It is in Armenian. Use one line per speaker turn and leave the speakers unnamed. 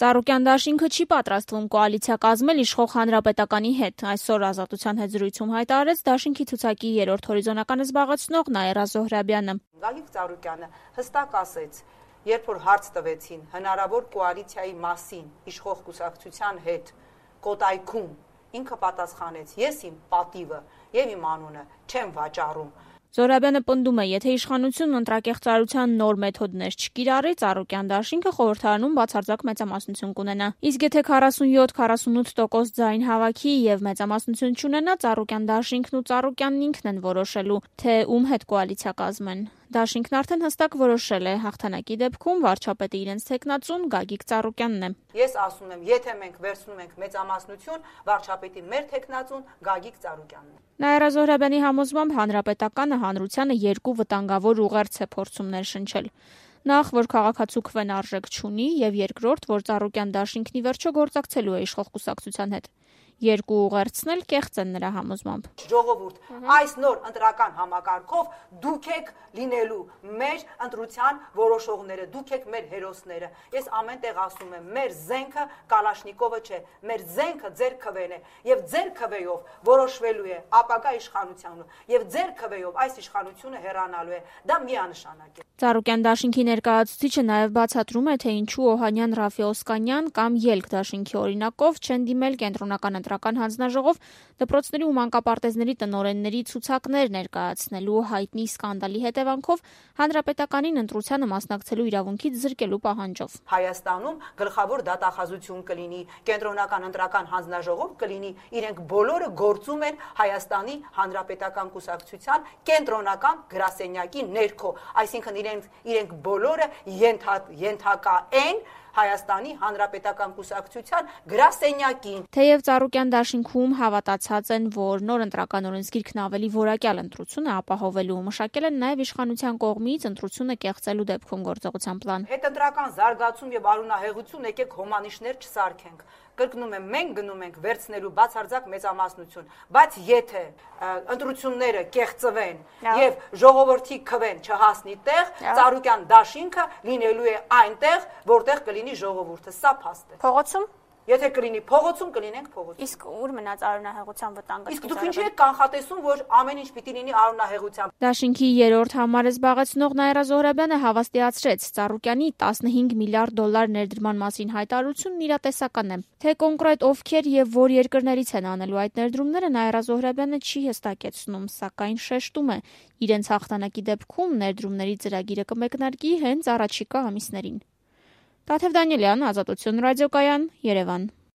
Ծառուկյան դաշինքը չի պատրաստվում կոալիցիա կազմել իշխող Հանրապետականի հետ, այսօր Ազատության հետ զրույցում հայտարարեց դաշինքի ցուցակի 3-րդ հորիզոնականը զբաղեցնող Նաիրա Զոհրաբյանը։
Գագիկ Ծառուկյանը հստակ ասեց, երբ որ հարց տվեցին հնարավոր կոալիցիայի մասին իշխող կուսակցության հետ Կոտայքում, ինքը պատասխանեց. ես իմ պատիվը եւ իմ անունը չեմ վաճառում։
Զոհրաբյանը պնդում է, եթե իշխանությունն ընտրակեղծարարության նոր մեթոդներ չկիրառի, Ծառուկյան դաշինքը խորհրդարանում բացարձակ մեծամասնություն կունենա։ Իսկ եթե 47-48% ձայն հավաքի եւ մեծամասնություն չունենա, Ծառուկյան դաշինքն ու Ծառուկյանն ինքն են որոշելու, թե ում հետ կոալիցիա կազմեն։ Դաշինքն արդեն հստակ որոշել է, հաղթանակի դեպքում վարչապետը իրենց թեկնածուն Գագիկ Ծառուկյանն է։
Ես ասում եմ, եթե մենք վերցնում ենք մեծամասնություն, վարչապետի մեր թեկնածուն Գագիկ Ծառուկյանն է։
Նաիրա Զոհրաբյանի համոզմամբ Հանրապետականը հանրությանը երկու վտանգավոր ուղերձ է փորձում ներշնչել։ Նախ, որ քաղաքացու քվեն արժեք չունի, եւ երկրորդ, որ Ծառուկյան դաշինքն ի վերջո գործակցելու է իշխող կուսակցության հետ։ Երկու ուղերձն էլ կեղծ են նրա համոզմամբ։
Ժողովուրդ, այս նոր ընտրական համակարգով դուք եք լինելու մեր ընտրության որոշողները, դուք եք մեր հերոսները։ Ես ամենտեղ ասում եմ, մեր զենքը Կալաշնիկովը չէ, մեր զենքը ձեր քվեն է, եւ ձեր քվեով որոշվելու է ապագա իշխանությունը, եւ ձեր քվեով այս իշխանությունը հեռանալու է։ Դա միանշանակ է։
Ծառուկյան դաշինքի ներկայացուցիչը նաև բացատրում է, թե ինչու Օհանյան, Ռաֆի Օսկանյան կամ Ելք դաշինքի օրինակով չեն դիմել կենտրոնական ընտրական հանձնաժողով դպրոցների ու մանկապարտեզների տնօրենների ցուցակներ ներկայացնելու հայտնի սկանդալի հետևանքով հանրապետականին ընտրությանը մասնակցելու իրավունքից զրկելու պահանջով։
Հայաստանում գլխավոր դատախազություն կլինի, կենտրոնական ընտրական հանձնաժողով կլինի, իրենք բոլորը գործում են Հայաստանի Հանրապետական կուսակցության կենտրոնական գրասենյակի ներքո, այսինքն իրենք բոլորը ենթակա են Հայաստանի Հանրապետական կուսակցության գրասենյակին։
Թեև Ծառուկյան դաշինքում հավատացած են, որ նոր ընտրական օրենսգիրքն ավելի որակյալ ընտրություն է ապահովելու, մշակել են նաև իշխանության կողմից ընտրությունը կեղծելու դեպքում գործողության պլան։
Հետընտրական զարգացում եւ արունահեղություն եկեք հոմանիշներ չսարքենք։ Կրկնում եմ, մենք գնում ենք վերցնելու բացարձակ մեծամասնություն, բայց եթե ընտրությունները կեղծվեն եւ ժողովրդի քվեն չհասնի տեղ, Ծառուկյան դաշինքը լինելու է այնտեղ, որտեղ կլինի ժողովուրդը, սա փաստ է։
Փողոցում
Եթե կլինի փողոցում, կլինենք փողոցում։
Իսկ ուր մնաց արունահեղության վտանգը։
Իսկ դուք ինչի եք կանխատեսում, որ ամեն ինչ պիտի լինի արունահեղությամբ։
Դաշինքի 3-րդ համարը զբաղեցնող Նաիրա Զոհրաբյանը հավաստիացրեց, Ծառուկյանի $15 միլիարդ ներդրման մասին հայտարարությունն իրատեսական է։ Թե կոնկրետ ովքեր եւ որ երկրներից են անելու այդ ներդրումները Նաիրա Զոհրաբյանը չի հստակեցնում, սակայն շեշտում է, իրենց հաղթանակի դեպքում ներդրումների ծրագիրը կմեկնարկի հենց առաջիկա ամիսներին։ Տաթև Դանիելյան, Ազատություն ռադիոկայան, Երևան։